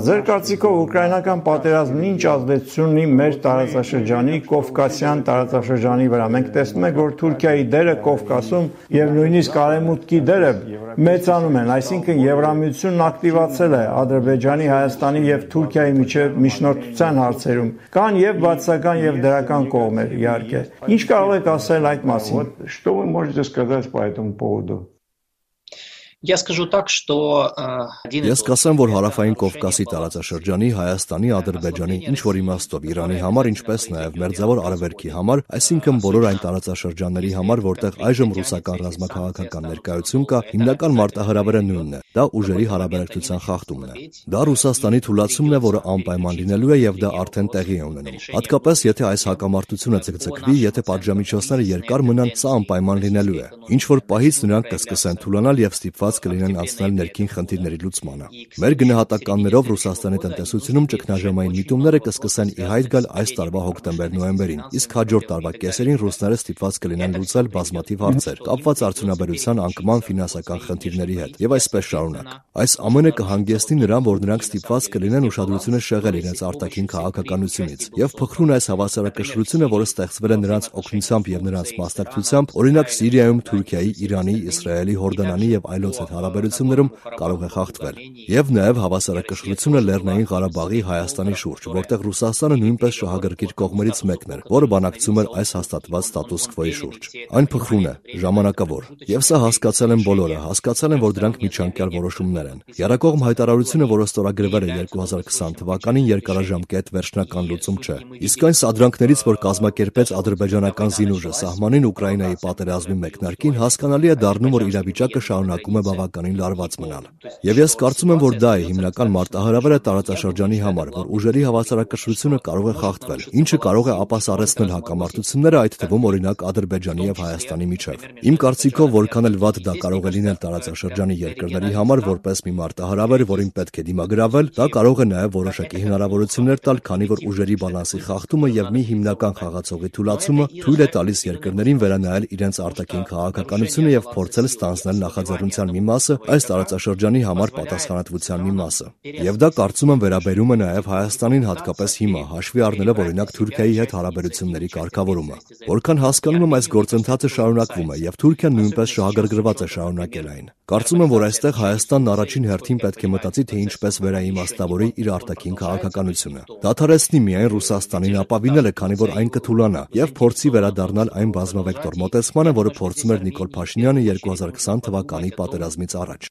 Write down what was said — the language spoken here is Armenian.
Ձեր կարծիքով ուկրաինական պատերազմն ինչ ազդեցություն ունի մեր տարածաշրջանի, Կովկասյան տարածաշրջանի վրա։ Մենք տեսնում ենք, որ Թուրքիայի դերը Կովկասում եւ նույնիսկ Արևմուտքի դերը մեծանում են, այսինքն Եվրամիությունն ակտիվացել է Ադրբեջանի, Հայաստանի եւ Թուրքիայի միջև միջնորդության հարցերում։ Կան եւ բացասական եւ դրական կողմեր, իհարկե։ Ինչ կարող եք ասել այդ մասին։ Что вы можете сказать по этому поводу? Ես կասեմ, որ հարավային Կովկասի տարածաշրջանի, Հայաստանի, Ադրբեջանի, ինչ-որ իմաստով Իրանի համար, ինչպես նաև Մերձավոր Արևելքի համար, այսինքն բոլոր այն տարածաշրջանների համար, որտեղ այժմ ռուսական ռազմաքաղաքական ներկայություն կա, հիմնական մարտահրավերը նույնն է՝ դա ուժերի հարաբերակցության խախտումն է։ Դա Ռուսաստանի թուլացումն է, որը անպայման լինելու է եւ դա արդեն տեղի է ունենում։ Հատկապես եթե այս հակամարտությունը ձգձգվի, եթե պատժամիջոցները երկար մնան, սա անպայման լինելու է։ Ինչ որ պահից նրանք կսկսեն թուլանալ եւ ստիպված կլինեն անցնել ներքին խնդիրների լուծմանը։ Մեր գնահատականներով Ռուսաստանի տնտեսությունում ճգնաժամային միտումները կսկսեն ի հայտ գալ այս տարվա հոկտեմբեր-նոյեմբերին, իսկ հաջորդ տարվա կեսերին ռուսները ստիպված կլինեն լուծել բազմաթիվ հարցեր, կապված արդյունաբերության, անկման, ֆինանսական խնդիրների հետ, եւ այսպես շարունակ։ Այս ամենը կհանգեցնի նրան, որ նրանք ստիպված կլինեն ուշադրությունը շեղել իրենց արտաքին քաղաքականությունից եւ փխրուն այս հավասարակշռությունը, որը ստեղծվել է նրանց օգնությամբ եւ նրանց մասնակցությամբ, օրինակ Սիրիայում Թուրքիայի, Իրանի, Իսրայելի, Հորդանանի եւ այլոց հետ հարաբերություններում կարող է խախտվել։ Եվ նաև հավասարակշռությունը Լեռնային Ղարաբաղի, Հայաստանի շուրջ, որտեղ Ռուսաստանը նույնպես շահագրգիռ կողմերից մեկն էր, որը բանակցում էր այս հաստատված ստատուս քվոյի շուրջ։ Այն փխրուն է, ժամանակավոր, եւ սա հասկացել են բոլորը, հասկացել են, որ դրանք միջանկյալ որոշումներ են։ Եռակողմ հայտարարությունը, որը ստորագրվել է 2020 թվականին, երկարաժամկետ վերջնական լուծում չէ։ Իսկ այն սադրանքներից, որ կազմակերպեց ադրբեջանական զինուժը սահմանին Ուկրաինայի պատերազմի մեկնարկին, հասկանալի է դառնում, որ իրավիճակը շարունակում է բավականին լարված մնալ։ Եվ ես կարծում եմ, որ դա է հիմնական մարտահրավերը տարածաշրջանի համար, որ ուժերի հավասարակշռությունը կարող է խախտվել, ինչը կարող է ապասառեցնել հակամարտությունները, այդ թվում օրինակ Ադրբեջանի եւ Հայաստանի միջև։ Իմ կարծիքով, որքան էլ վատ դա կարող է լինել տարածաշրջանի երկրների համար որպես մի մարտահրավեր, որին պետք է դիմագրավել, դա կարող է նաեւ որոշակի հնարավորություններ տալ, քանի որ ուժերի բալանսի խախտումը եւ մի հիմնական խաղացողի թուլացումը թույլ է տալիս երկրներին վերանայել իրենց արտաքին քաղաքականությունը եւ փորձել ստանձնել նախաձեռնության մի մասը, այս տարածաշրջանի համար պատասխանատվության մի մասը։ Եվ դա կարծում եմ վերաբերում է նաև Հայաստանին հատկապես հիմա, հաշվի առնելով օրինակ Թուրքիայի հետ հարաբերությունների կարգավորումը։ Որքան հասկանում եմ, այս գործընթացը շարունակվում է եւ Թուրքիան նույնպես շահագրգռված է շարունակել այն։ Կարծում եմ, որ այստեղ Հայաստանն առաջին հերթին պետք է մտածի, թե ինչպես վերաիմաստավորի իր արտաքին քաղաքականությունը։ Դադարեցնի միայն Ռուսաստանին ապավինելը, քանի որ այն կթուլանա եւ փորձի վերադառնալ այն բազմավեկտոր մոտեցմանը, որը փորձում էր Նիկոլ Փաշինյանը 2020 թվականի պատերազմից առաջ։